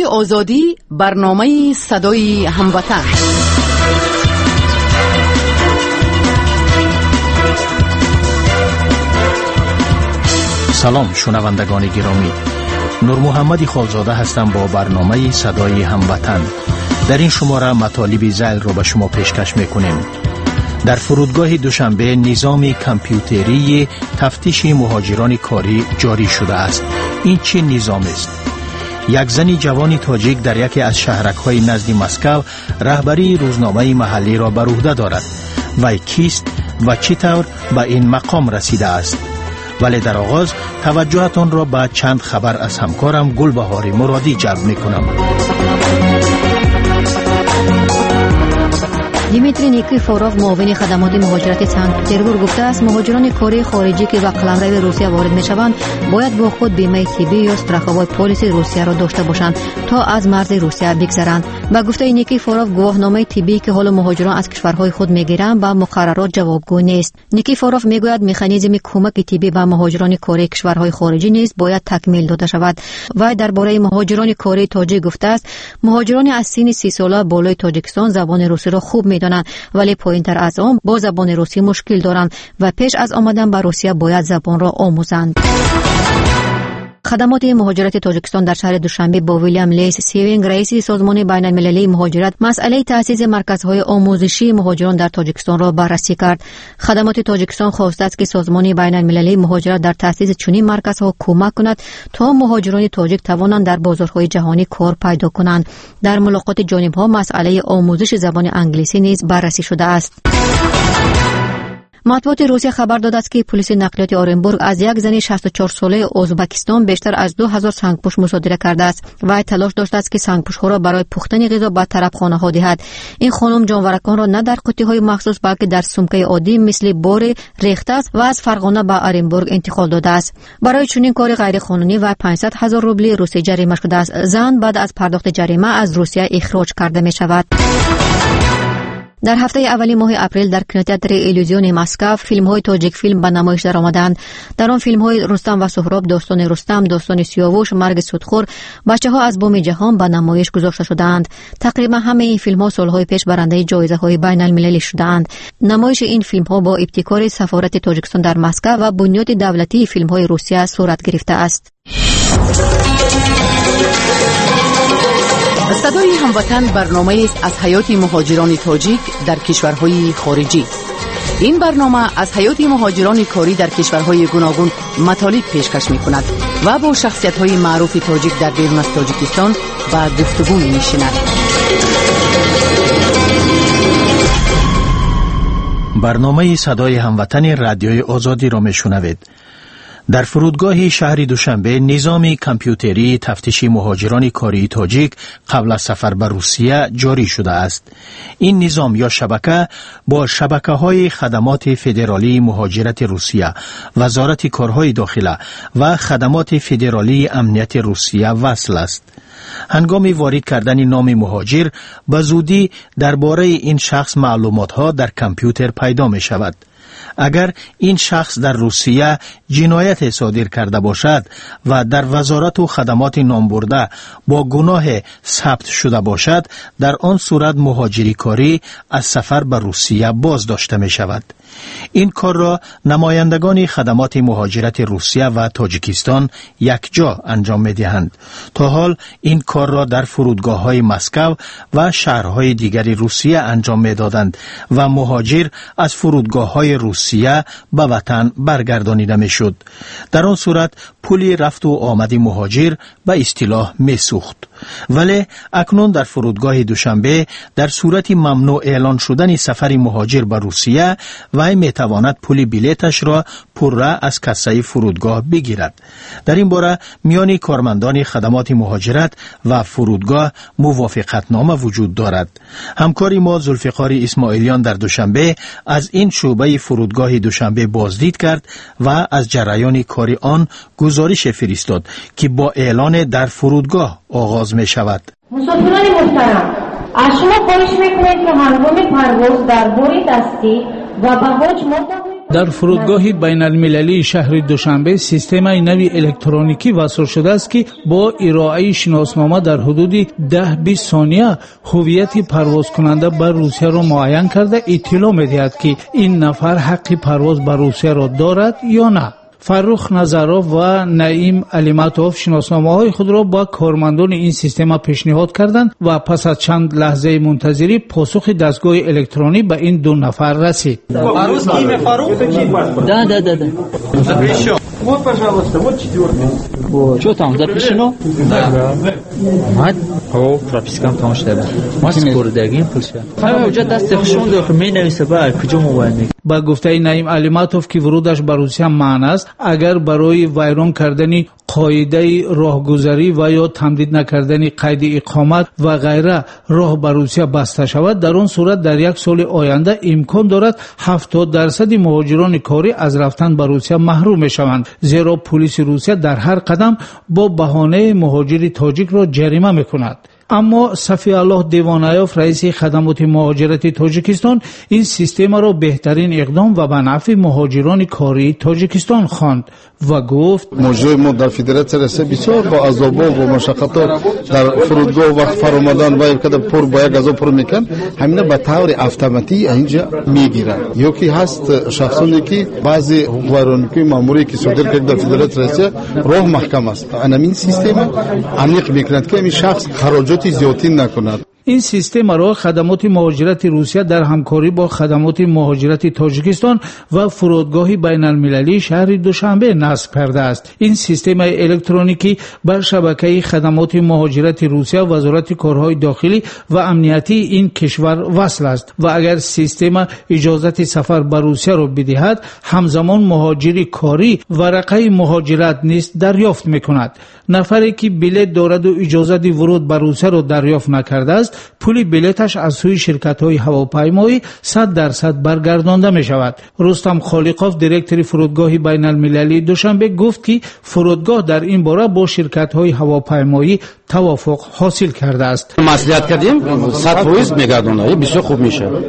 Радиои Озодӣ, барномаи садои ҳамватан. Салом, шунавандагони гиромӣ. Нурмуҳаммади Холзода ҳастам бо барномаи садои ҳамватан. Дар ин шумора матолиби зайлро ба шумо пешкаш мекунем. Дар фурудгоҳи Душанбе низоми компютерии тафтиши муҳоҷирони корӣ ҷорӣ шудааст. Ин чӣ низомест? Як зани ҷавони тоҷик дар яке аз шаҳракҳои назди Москав раҳбарии рӯзномаи маҳаллиро бар уҳда дорад. Вай кист ва чӣ тавр ба ин мақом расидааст? Вале дар оғоз таваҷҷӯҳатонро ба чанд хабар аз ҳамкорам Гулбаҳори Муродӣ ҷалб мекунам. Дмитрий Никифоров, муовини хадамоти муҳоҷирати Санкт-Петербург, гуфтааст, муҳоҷирони кории хориҷӣ, ки ба қаламрави Русия ворид мешаванд, бояд бо худ бимаи тиббӣ ё страховой полиси Русияро дошта бошанд, то аз марзи Русия бигзаранд. Ба гуфтаи Никифоров, гувоҳномаи тиббӣ, ки ҳоло муҳоҷирон аз кишварҳои худ мегиранд, ба муқаррарот ҷавобгӯ нест. Никифоров мегӯяд, механизми кӯмаки тиббӣ ба муҳоҷирони кории кишварҳои хориҷӣ низ бояд такмил дода шавад. Вай дар бораи муҳоҷирони кории тоҷик гуфтааст, муҳоҷирони аз синни 30 сола болои Тоҷикистон забони русиро хуб медонанд, вале поинтар аз он бо забони русӣ мушкил доранд ва пеш аз омадан ба Русия бояд забонро омӯзанд. Хадамоти муҳоҷирати Тоҷикистон дар шаҳри Душанбе бо Вилям Лейс Севинг, раиси Созмони байналмилалии муҳоҷират, масъалаи таъсиси марказҳои омӯзишии муҳоҷирон дар Тоҷикистонро баррасӣ кард. Хадамоти Тоҷикистон хостааст, ки Созмони байналмилалии муҳоҷират дар таъсиси чунин марказҳо кӯмак кунад, то муҳоҷирони тоҷик тавонанд дар бозорҳои ҷаҳонӣ кор пайдо кунанд. Дар мулоқоти ҷонибҳо масъалаи омӯзиши забони англисӣ низ баррасӣ шудааст. Матбуоти Русия хабар додааст, ки пулиси нақлиёти Оренбург аз як зани 64-солаи Ӯзбекистон бештар аз 2000 сангпӯш мусодира кардааст. Вай талош доштааст, ки сангпӯшҳоро барои пухтани ғизо ба тарабхонаҳо диҳад. Ин хонум ҷонвараконро на дар қуттиҳои махсус, балки дар сумкаи оддӣ мисли боре рехтааст ва аз Фарғона ба Оренбург интиқол додааст. Барои чунин кори ғайриқонунӣ вай 500 ҳазор рубли русӣ ҷарима шудааст. Зан баъд аз пардохти ҷарима аз Русия ихроҷ карда мешавад. Дар ҳафтаи аввали моҳи апрел дар кинотеатри Иллюзиони Москав филмҳои Тоҷикфилм ба намоиш даромаданд. Дар он филмҳои Рустам ва Суҳроб, Достони Рустам, Достони Сиёвуш, Марги судхӯр, Бачаҳо аз боми ҷаҳон ба намоиш гузошта шудаанд. Тақрибан ҳамаи ин филмҳо солҳои пеш барандаи ҷоизаҳои байналмилалӣ шудаанд. Намоиши ин филмҳо бо ибтикори сафорати Тоҷикистон дар Москав ва Бунёди давлатии филмҳои Русия сурат гирифтааст. Садои ҳамватан барномаест аз ҳаёти муҳоҷирони тоҷик дар кишварҳои хориҷӣ. Ин барнома аз ҳаёти муҳоҷирони корӣ дар кишварҳои гуногун матолиб пешкаш мекунад ва бо шахсиятҳои маъруфи тоҷик дар берун аз Тоҷикистон ба гуфтугӯ менишинад. Барномаи садои ҳамватани Радиои Озодиро мешунавед. Дар фурудгоҳи шаҳри Душанбе низоми компютерии тафтиши муҳоҷирони кории тоҷик қабл аз сафар ба Русия ҷорӣ шудааст. Ин низом ё шабака бо шабакаҳои Хадамоти федералии муҳоҷирати Русия, Вазорати корҳои дохила ва Хадамоти федералии амнияти Русия васл аст. Ҳангоми ворид кардани номи муҳоҷир ба зудӣ дар бораи ин шахс маълумотҳо дар компютер пайдо мешавад. Агар ин шахс дар Русия ҷинояте содир карда бошад ва дар вазорату хадамоти номбурда бо гуноҳе сабт шуда бошад, дар он сурат муҳоҷири корӣ аз сафар ба Русия боздошта мешавад. Ин корро намояндагони хадамоти муҳоҷирати Русия ва Тоҷикистон якҷо анҷом медиҳанд. То ҳол ин корро дар фурудгоҳҳои Москав ва шаҳрҳои дигари Русия анҷом медоданд ва муҳоҷир аз фурудгоҳҳои Русия ба ватан баргардонида мешуд. Дар он сурат пули рафту омади муҳоҷир ба истилоҳ месӯхт. Вале акнун дар фурудгоҳи Душанбе дар сурати мамнӯъ эълон шудани сафари муҳоҷир ба Русия, вай метавонад пули билеташро пурра аз кассаи фурудгоҳ бигирад. Дар ин бора миёни кормандони хадамоти муҳоҷират ва фурудгоҳ мувофиқатнома вуҷуд дорад. Ҳамкори мо Зулфиқори Исмоилиён дар Душанбе аз ин шӯъбаи фурудгоҳи Душанбе боздид кард ва аз ҷараёни кори он гузорише фиристод, ки бо эълоне дар фурудгоҳ оғоз мешавад. Мусофирони муҳтарам, аз шумо хоҳиш мекунем, ки ҳангоми парвоз дар бори дастӣ ва баҳоҷ моддаҳои Дар фурудгоҳи байналмилалии шаҳри Душанбе системаи нави электроникӣ васл шудааст, ки бо ироаи шиноснома дар ҳудуди 10-20 сония ҳувияти парвозкунанда ба Русияро муайян карда иттилоъ медиҳад, ки ин нафар ҳаққи парвоз ба Русияро дорад ё на. Фаррух Назаров ва Наим Алиматов шиносномаҳои худро ба кормандони ин система пешниҳод карданд ва пас аз чанд лаҳзаи мунтазирӣ посухи дастгоҳи электронӣ ба ин ду нафар расид. Да, да, да, да. Запрещен. Вот, пожалуйста, вот четвертый. Вот. Что там, запрещено? Да. Мад? О, пропискам там шуда. Ма спордагим пулша. Ҳама уҷа дасти хушон дохил менависа ба куҷо мо бояд мекунем. Ба гуфтаи Наим Алиматов, ки вурудаш ба Русия манъ аст, агар барои вайрон кардани қоидаи роҳгузарӣ ва ё тамдид накардани қайди иқомат ва ғайра роҳ ба Русия баста шавад, дар он сурат дар як соли оянда имкон дорад 70% муҳоҷирони корӣ аз рафтан ба Русия маҳрум мешаванд, зеро пулиси Русия дар ҳар қадам бо баҳонаи муҳоҷири тоҷикро ҷарима мекунад. Аммо Сафиаллоҳ Девонаёв, раиси хадамоти муҳоҷирати Тоҷикистон, ин системаро беҳтарин иқдом ва ба нафъи муҳоҷирони кории Тоҷикистон хонд ва гуфт: муҳоҷирони мо дар Федератсияи Россия бисёр бо азобҳо, бо машаққатҳо дар фурудгоҳ вақт фаромадан ва када пур бо як азоб пур мекунанд, ҳамина ба таври автоматӣ инҷа мегиранд. Ё ки ҳаст шахсоне ки баъзе ҳуқуқвайронкунии маъмурие ки содир кард дар Федератсияи Россия роҳ маҳкам аст. Ҳамин система аниқ мекунад, ки ҳамин шахс хароҷоти зиёдтӣ накунад. Ин системаро хадамоти муҳоҷирати Русия дар ҳамкорӣ бо хадамоти муҳоҷирати Тоҷикистон ва фурудгоҳи байналмилалии шаҳри Душанбе насб кардааст. Ин системаи электроникӣ ба шабакаи хадамоти муҳоҷирати Русия, Вазорати корҳои дохилӣ ва амниятии ин кишвар васл аст ва агар система иҷозати сафар ба Русияро бидиҳад, ҳамзамон муҳоҷири корӣ варақаи муҳоҷират низ дарёфт мекунад. Нафаре ки билет дораду иҷозати вуруд ба Русияро дарёфт накардааст, пули билеташ аз сӯи ширкатҳои ҳавопаймоӣ 100% баргардонда мешавад. Рустам Холиқов, директори фурудгоҳи байналмилалии Душанбе, гуфт, ки фурудгоҳ дар ин бора бо ширкатҳои ҳавопаймоӣ тавофуқ ҳосил кардааст. Маслиҳат кардем, 100% мегардонад, бисёр хуб мешавад.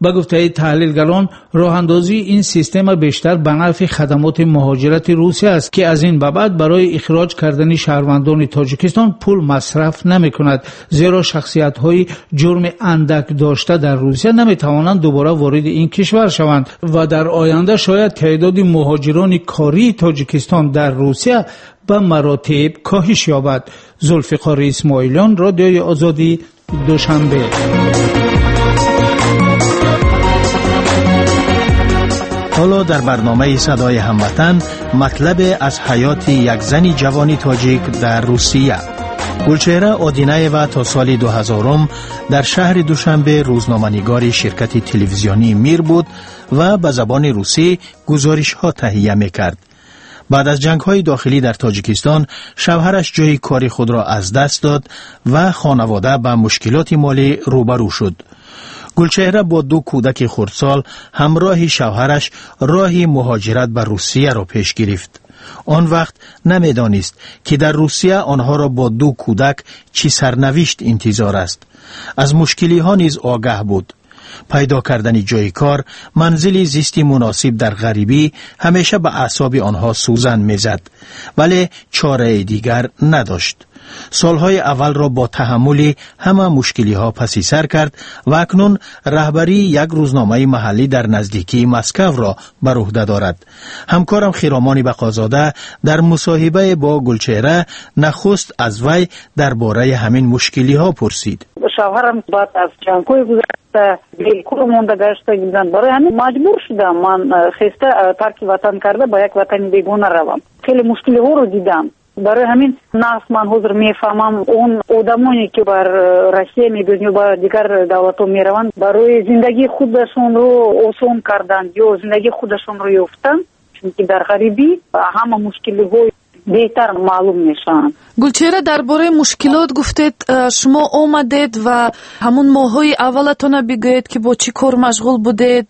Ба гуфтаи таҳлилгарон, роҳандозии ин система бештар ба нафъи хадамоти муҳоҷирати Русия аст, ки аз ин ба баъд барои ихроҷ кардани шаҳрвандони Тоҷикистон пул масраф намекунад, зеро шахсиятҳои ҷурми андак дошта дар Русия наметавонанд дубора вориди ин кишвар шаванд ва дар оянда шояд теъдоди муҳоҷирони кории Тоҷикистон дар Русия ба маротиб коҳиш ёбад. Зулфиқори Исмоилён, Радиои Озодӣ, Душанбе. Ҳоло дар барномаи Садои ҳамватан матлабе аз ҳаёти як зани ҷавони тоҷик дар Русия. Гулчеҳра Одинаева то соли 2000 дар шаҳри Душанбе рӯзноманигори ширкати телевизионии Мир буд ва ба забони русӣ гузоришҳо таҳия мекард. Баъд аз ҷангҳои дохилӣ дар Тоҷикистон шавҳараш ҷои кори худро аз даст дод ва хонавода ба мушкилоти молӣ рӯбарӯ шуд. Гулчеҳра бо ду кӯдаки хурдсол ҳамроҳи шавҳараш роҳи муҳоҷират ба Русияро пеш гирифт. Он вақт намедонист, ки дар Русия онҳоро бо ду кӯдак чӣ сарнавишт интизор аст. Аз мушкилиҳо низ огаҳ буд. Пайдо кардани ҷои кор, манзили зисти муносиб дар ғарибӣ ҳамеша ба аъсоби онҳо сӯзан мезад, вале чораи дигар надошт. Солҳои аввалро бо таҳаммули ҳама мушкилиҳо паси сар кард ва акнун раҳбарии як рӯзномаи маҳаллӣ дар наздикии Москавро бар уҳда дорад. Ҳамкорам Хиромони Бақозода дар мусоҳибае бо Гулчеҳра нахуст аз вай дар бораи ҳамин мушкилиҳо пурсид. Шавҳарам баъд аз ҷангҳои гузашта бекор монда гашта буданд. Барои ҳамин маҷбур шудам ман хеста тарки ватан карда ба як ватани бегона равам. Хеле мушкилиҳоро дидам. Барои ҳамин нағз ман ҳозир мефаҳмам он одамоне ки бар Россия мебиёнд ё ба дигар давлатҳо мераванд, барои зиндагии худашонро осон кардан ё зиндагии худашонро ёфтан, чунки дар ғарибӣ ҳама мушкилиҳо беҳтар маълум мешаванд. Гулчеҳра, дар бораи мушкилот гуфтед, шумо омадед ва ҳамун моҳҳои аввалатона бигӯед, ки бо чӣ кор машғул будед,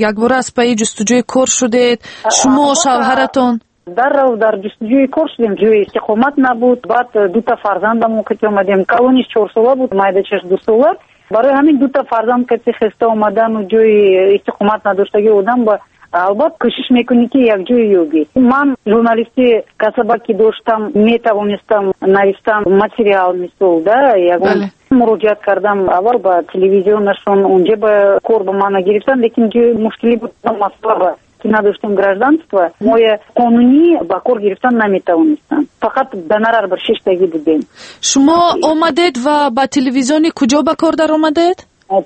якбора аз пайи ҷустуҷӯи кор шудед, шумо, шавҳаратон? Даррав дар ҷустуҷӯи кор шудем, ҷои истиқомат набуд. Баъд дута фарзандамон кати омадем. Калониш 4 сола буд, майдачаш 2 сола. Барои ҳамин дута фарзанд кати хеста омадану ҷои истиқомат надоштагии одам ба Албатта, кӯшиш мекунӣ, ки якҷоя ёбӣ. Ман журналисти касаба ки доштам, метавонистам навистан материал, мисол, да, ягон муроҷиат кардам аввал ба телевизионашон, унҷа ба кор ба мана гирифтан, лекин ҷои мушкилӣ буд, масъала ки надоштем гражданство, моя қонунӣ ба кор гирифтан наметавонистам, фақат гонорар бар шиштагӣ будем. Шумо омадед ва ба телевизиони куҷо ба кор даромадед?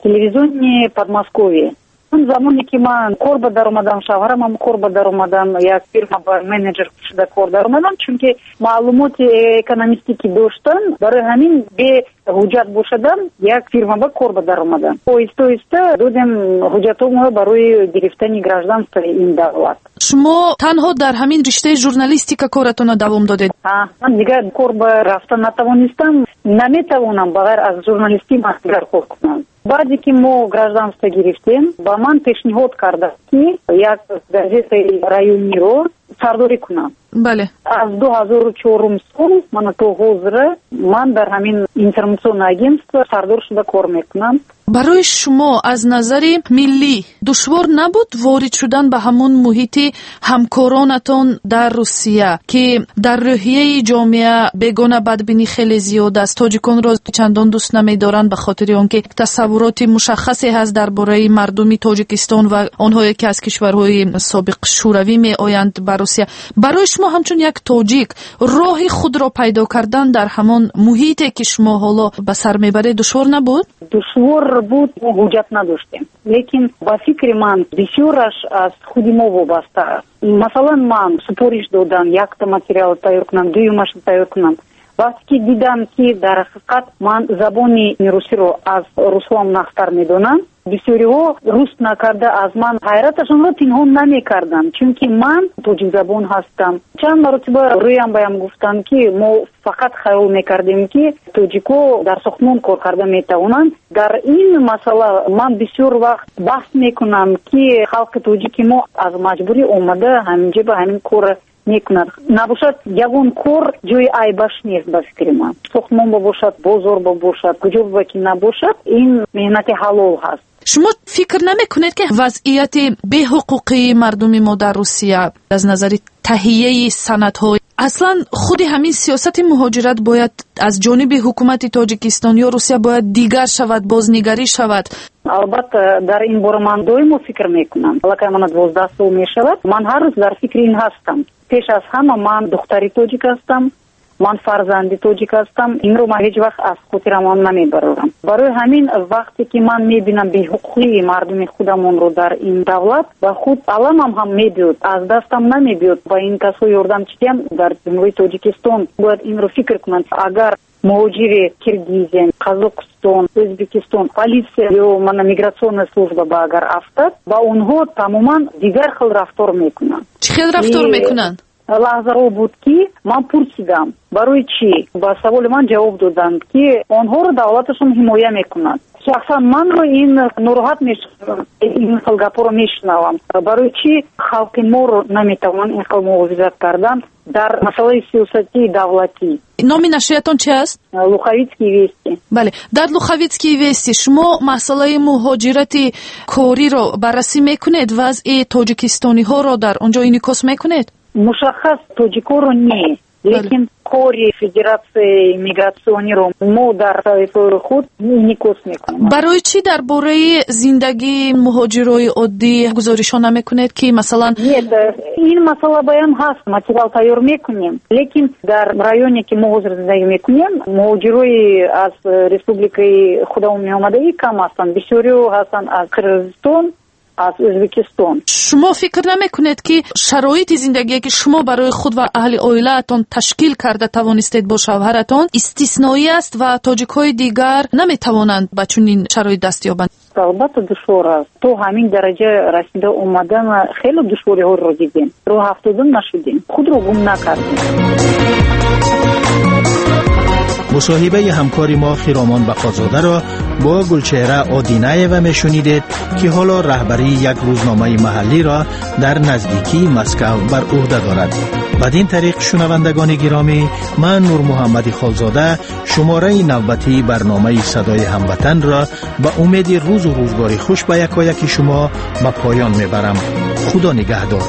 Телевизиони Подмосковье. Он замоне ки ман кор ба даромадам, шавҳарамам кор ба даромадан, як фирма ба менеҷер шуда кор даромадам, чунки маълумоти экономистӣ ки доштам, барои ҳамин бе ҳуҷҷат бошадам як фирма ба кор ба даромадам. Оҳиста оҳиста додем ҳуҷҷатҳоро барои гирифтани гражданствои ин давлат. Шумо танҳо дар ҳамин риштаи журналистика коратонро давом додед? Ман дигар кор ба рафта натавонистам, наметавонам ба ғайр аз журналистӣ ман дигар кор кунам. Баъде ки мо гражданство гирифтем, ба ман пешниҳод карданд, ки як газетаи райониро сардорӣ кунам. Аз 2004 сол мана то ҳозира ман дар ҳамин информационное агентство сардор шуда кор мекунам. Барои шумо аз назари миллӣ душвор набуд ворид шудан ба ҳамон муҳити ҳамкоронатон дар Русия, ки дар рӯҳияи ҷомеа бегона бадбинӣ хеле зиёд аст, тоҷиконро чандон дӯст намедоранд ба хотири он ки тасаввуроти мушаххасе ҳаст дар бораи мардуми Тоҷикистон ва онҳое ки аз кишварҳои собиқ шӯравӣ меоянд ба Русия. Барои шумо ҳамчун як тоҷик роҳи худро пайдо кардан дар ҳамон муҳите ки шумо ҳоло ба сар мебаред душвор набуд? Душвор буд, мо ҳуҷҷат надоштем, лекин ба фикри ман бисёраш аз худи мо вобаста аст. Масалан, ман супориш додам якта материал тайёр кунам, дуюмашро тайёр кунам. Вақте ки дидам, ки дар ҳақиқат ман забони русиро аз русҳоам нағзтар медонам, бисёриҳо рус накарда аз ман ҳайраташонро пинҳон намекарданд, чунки ман тоҷикзабон ҳастам. Чанд маротиба рӯям баям гуфтанд, ки мо фақат хаёл мекардем, ки тоҷико дар сохтмон кор карда метавонанд. Дар ин масъала ман бисёр вақт баҳс мекунам, ки халқи тоҷики мо аз маҷбурӣ омада ҳаминҷа ба ҳамин кор мекунад. Набошад, ягон кор ҷои айбаш нест ба фикри ман. Сохтмон ба бошад, бозор ба бошад, куҷо ба ки набошад, ин меҳнати ҳалол ҳаст. Шумо фикр намекунед, ки вазъияти беҳуқуқии мардуми мо дар Русия аз назари таҳияи санадҳо, аслан худи ҳамин сиёсати муҳоҷират бояд аз ҷониби ҳукумати Тоҷикистон ё Русия бояд дигар шавад, бознигарӣ шавад? Албатта, дар ин бора ман доимо фикр мекунам. Аллакай мана 12 сол мешавад, ман ҳар рӯз дар фикри ин ҳастам. Пеш аз ҳама ман духтари тоҷик ҳастам, ман фарзанди тоҷик ҳастам, инро ман ҳеҷ вақт аз хотирамон намебарорам. Барои ҳамин вақте ки ман мебинам беҳуқуқии мардуми худамонро дар ин давлат, ба худ аламам ҳам мебиёд, аз дастам намебиёд ба ин касҳо ёрдам чидиҳам. Дар Ҷумҳурии Тоҷикистон бояд инро фикр кунанд. Агар муҳоҷири Киргизия, Қазоқистон, Ӯзбекистон, полиция ё мана миграционная служба ба агар афтад, ба онҳо тамоман дигар хел рафтор мекунанд. Чӣ хел рафтор мекунанд? Лаҳзаҳо буд, ки ман пурсидам, барои чӣ? Ба саволи ман ҷавоб доданд, ки онҳоро давлаташон ҳимоя мекунад. Шахсан манро ин нороҳат мешавам, ин хел гапҳоро мешунавам. Барои чӣ халқи моро наметавонанд ин хел муҳофизат кардан дар масъалаи сиёсатии давлатӣ? Номи нашриятон чи аст? Луховицкие вести. Бале, дар Луховицкие вести шумо масъалаи муҳоҷирати кориро баррасӣ мекунед, вазъи тоҷикистониҳоро дар он ҷо инъикос мекунед? Мушаххас тоҷикоро не, лекин кори федератсияи мигратсиониро мо дар саҳифаи худ инъикос мекунем. Барои чӣ дар бораи зиндагии муҳоҷирои оддӣ гузоришҳо намекунед, ки масалан? Нет, ин масъала баям ҳаст, материал тайёр мекунем, лекин дар районе ки мо ҳозир зиндагӣ мекунем, муҳоҷирои аз республикаи худамон меомадагӣ кам ҳастанд, бисёриҳо ҳастанд аз Қирғизистон, аз Ӯзбекистон. Шумо фикр намекунед, ки шароити зиндагие ки шумо барои худ ва аҳли оилаатон ташкил карда тавонистед бо шавҳаратон истисноӣ аст ва тоҷикҳои дигар наметавонанд ба чунин шароит даст ёбанд? Албатта, душвор аст. То ҳамин дараҷа расида омадан хеле душвориҳоро дидем, роҳ афтода нашудем, худро гум накардем. Мусоҳибаи ҳамкори мо Хиромон Бақозодаро бо Гулчеҳра Одинаева мешунидед, ки ҳоло раҳбарии як рӯзномаи маҳаллиро дар наздикии Москав бар ӯҳда дорад. Бадин тариқ, шунавандагони гиромӣ, ман Нурмуҳаммади Холзода шумораи навбатии барномаи Садои ҳамватанро ба умеди рӯзу Рӯзу рӯзгори хуш ба якояки шумо ба поён мебарам. Худо нигаҳдор.